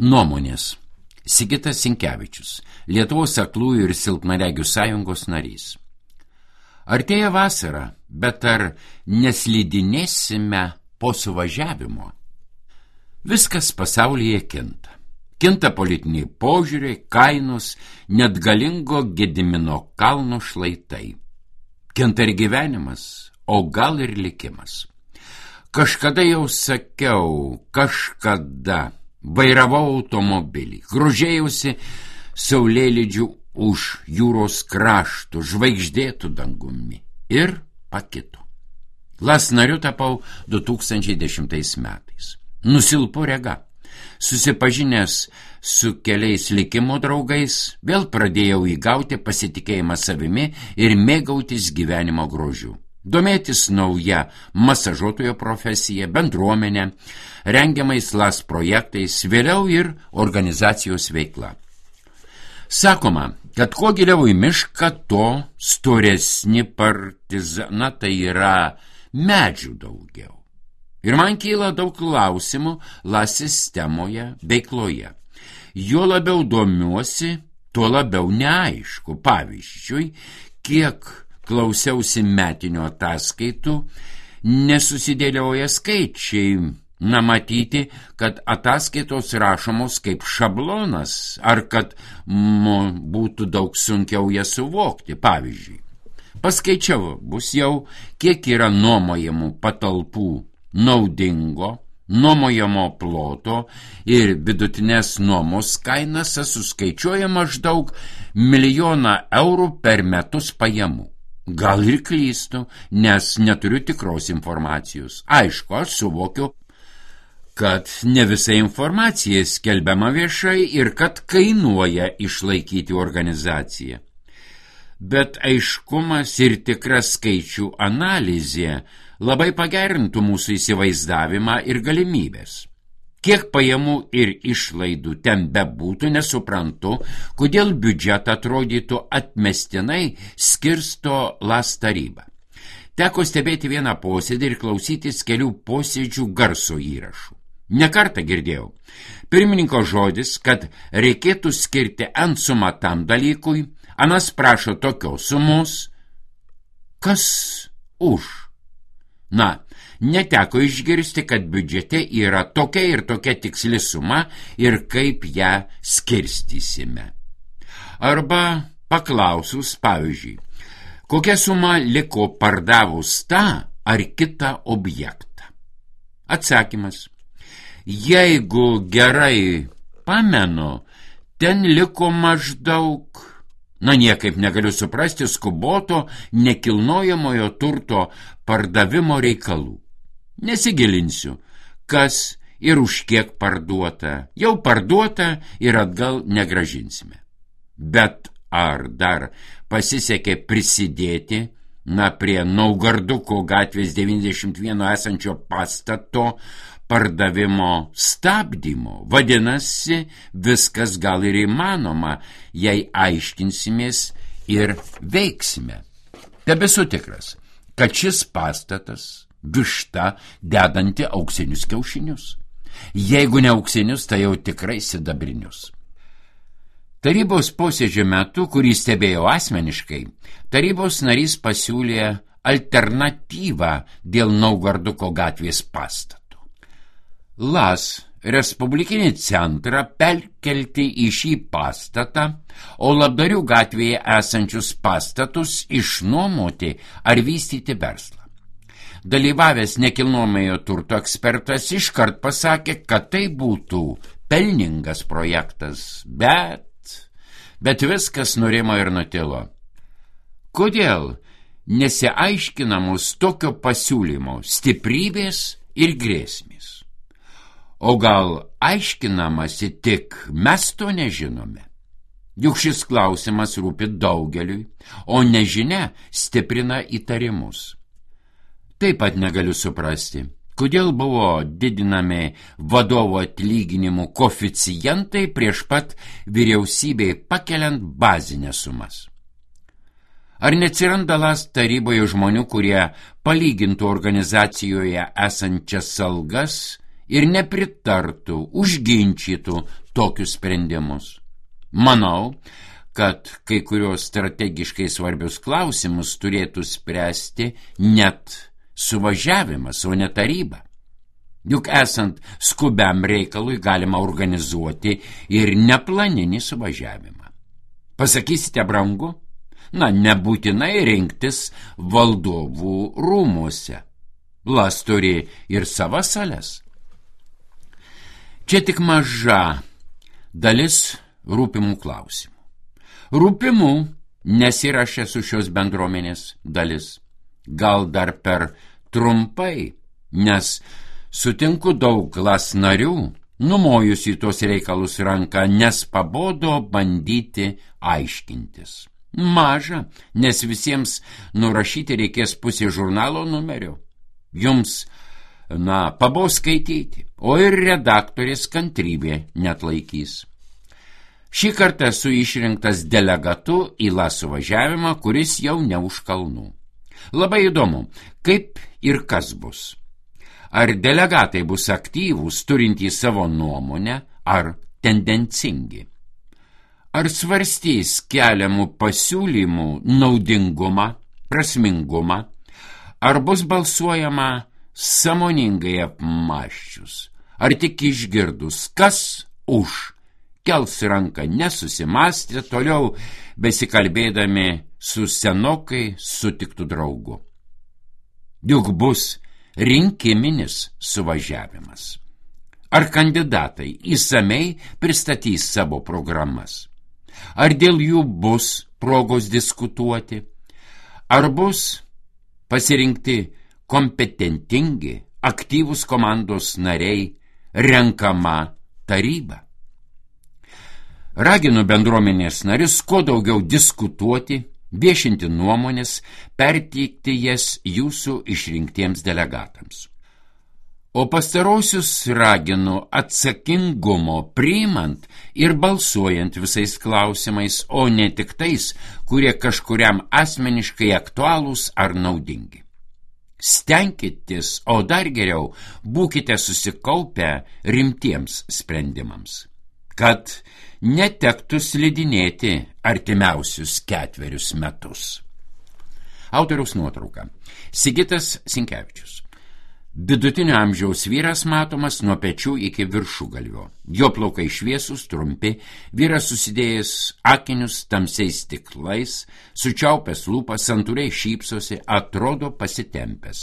Nuomonės. Sigitas Sinkevičius, Lietuvos aklųjų ir silpnaregių sąjungos narys. Artėja vasara, bet ar neslidinėsime po suvažiavimo? Viskas pasaulyje kinta. Kinta politiniai požiūriai, kainos, net galingo Gedimino kalno šlaitai. Kinta ir gyvenimas, o gal ir likimas. Kažkada jau sakiau, vairavau automobilį, grožėjausi saulėlydžiu už jūros kraštų, žvaigždėtų dangumi ir pakito. LAS nariu tapau 2010 metais. Nusilpo rega. Susipažinęs su keliais likimo draugais, vėl pradėjau įgauti pasitikėjimą savimi ir mėgautis gyvenimo grožiu. Domėtis nauja masažuotojo profesija, bendruomenė, rengiamais LAS projektais, vėliau ir organizacijos veikla. Sakoma, kad kuo giliau į mišką, to storesni partizaną, tai yra medžių daugiau. Ir man kyla daug klausimų LAS sistemoje, veikloje. Jo labiau domiuosi, tuo labiau neaišku. Pavyzdžiui, kiek klausiausi metinio ataskaitų, nesusidėlioja skaičiai. Matyti, kad ataskaitos rašomos kaip šablonas, ar kad būtų daug sunkiau jas suvokti. Pavyzdžiui, paskaičiau bus jau, kiek yra nuomojamų patalpų naudingo, nuomojamo ploto ir vidutinės nuomos kainas suskaičiuoja maždaug 1 000 000 eurų per metus pajamų. Gal ir klystu, nes neturiu tikros informacijos. Aišku, aš suvokiu, kad ne visa informacija skelbiama viešai ir kad kainuoja išlaikyti organizaciją. Bet aiškumas ir tikra skaičių analizė labai pagerintų mūsų įsivaizdavimą ir galimybės. Kiek pajamų ir išlaidų ten bebūtų, nesuprantu, kodėl biudžetą atrodytų atmestinai skirsto LAS taryba. Teko stebėti vieną posėdį ir klausytis kelių posėdžių garso įrašų. Nekartą girdėjau pirmininko žodis, kad reikėtų skirti N sumą tam dalykui, anas prašo tokios sumos. Kas už? Neteko išgirsti, kad biudžete yra tokia ir tokia tiksli suma ir kaip ją skirstysime. Arba paklausus, pavyzdžiui, kokia suma liko pardavus tą ar kitą objektą. Atsakymas. Jeigu gerai pamenu, ten liko maždaug, niekaip negaliu suprasti, skuboto nekilnojamojo turto pardavimo reikalų. Nesigilinsiu, kas ir už kiek parduota. Jau parduota ir atgal negražinsime. Bet ar dar pasisekė prisidėti prie Naugarduko gatvės 91 esančio pastato pardavimo stabdymo? Vadinasi, viskas gal ir įmanoma, jei aiškinsimės ir veiksime. Tebesu tikras, kad šis pastatas višta dedanti auksinius kiaušinius. Jeigu ne auksinius, tai jau tikrai sidabrinius. Tarybos posėdžio metu, kurį stebėjau asmeniškai, tarybos narys pasiūlė alternatyvą dėl Naugarduko gatvės pastato. LAS Respublikinį centrą perkelti į šį pastatą, o Labdarių gatvėje esančius pastatus išnuomoti ar vystyti verslą. Dalyvavęs nekilnojamojo turto ekspertas iškart pasakė, kad tai būtų pelningas projektas, bet viskas nurimo ir nutilo. Kodėl nesiaiškinamos tokio pasiūlymo stiprybės ir grėsmės? O gal aiškinamasi tik mes to nežinome? Juk šis klausimas rūpi daugeliui, o nežinia stiprina įtarimus. Taip pat negaliu suprasti, kodėl buvo didinami vadovo atlyginimų koeficientai prieš pat vyriausybei pakeliant bazinės sumas. Ar neatsiranda LAS taryboje žmonių, kurie palygintų organizacijoje esančias algas ir nepritartų, užginčytų tokius sprendimus. Manau, kad kai kurios strategiškai svarbius klausimus turėtų spręsti net suvažiavimas, o ne taryba. Juk esant skubiam reikalui galima organizuoti ir neplaninį suvažiavimą. Pasakysite, brangu? Na, nebūtinai rinktis valdovų rūmuose. Las turi ir savas sales. Čia tik maža dalis rūpimų klausimų. Rūpimų, nes ir aš esu šios bendruomenės dalis. Gal dar per trumpai, nes sutinku daug Las narių, numojus į tos reikalus ranką, nes pabodo bandyti aiškintis. Maža, nes visiems nurašyti reikės pusė žurnalo numerio. Jums, pabos skaityti, o ir redaktorės kantrybė netlaikys. Šį kartą esu išrinktas delegatu į Las suvažiavimą, kuris jau ne už kalnų. Labai įdomu, kaip ir kas bus. Ar delegatai bus aktyvūs, turintys savo nuomonę, ar tendencingi? Ar svarstys keliamų pasiūlymų naudingumą, prasmingumą, ar bus balsuojama sąmoningai apmąsčius, ar tik išgirdus, kas už, kels ranką nesusimąstę, toliau besikalbėdami su senokai sutiktų draugu. Juk bus rinkiminis suvažiavimas. Ar kandidatai įsamei pristatys savo programas? Ar dėl jų bus progos diskutuoti? Ar bus pasirinkti kompetentingi, aktyvūs komandos nariai, renkama taryba? Raginu bendruomenės narius kuo daugiau diskutuoti, viešinti nuomonės, perteikti jas jūsų išrinktiems delegatams. O pastarosius raginu atsakingumo priimant ir balsuojant visais klausimais, o ne tik tais, kurie kažkuriam asmeniškai aktualūs ar naudingi. Stenkitės, o dar geriau, būkite susikaupę rimtiems sprendimams, kad netektų slidinėti artimiausius 4 metus. Autoriaus nuotrauka. Sigitas Sinkevičius. Vidutinio amžiaus vyras matomas nuo pečių iki viršugalvio. Jo plaukai šviesūs, trumpi, vyras susidėjęs akinius tamsiais stiklais, sučiaupęs lūpas, santūriai šypsosi, atrodo pasitempęs.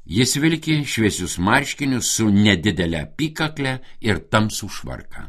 Jis vilki šviesius marškinius su nedidelė apykakle ir tamsų švarką.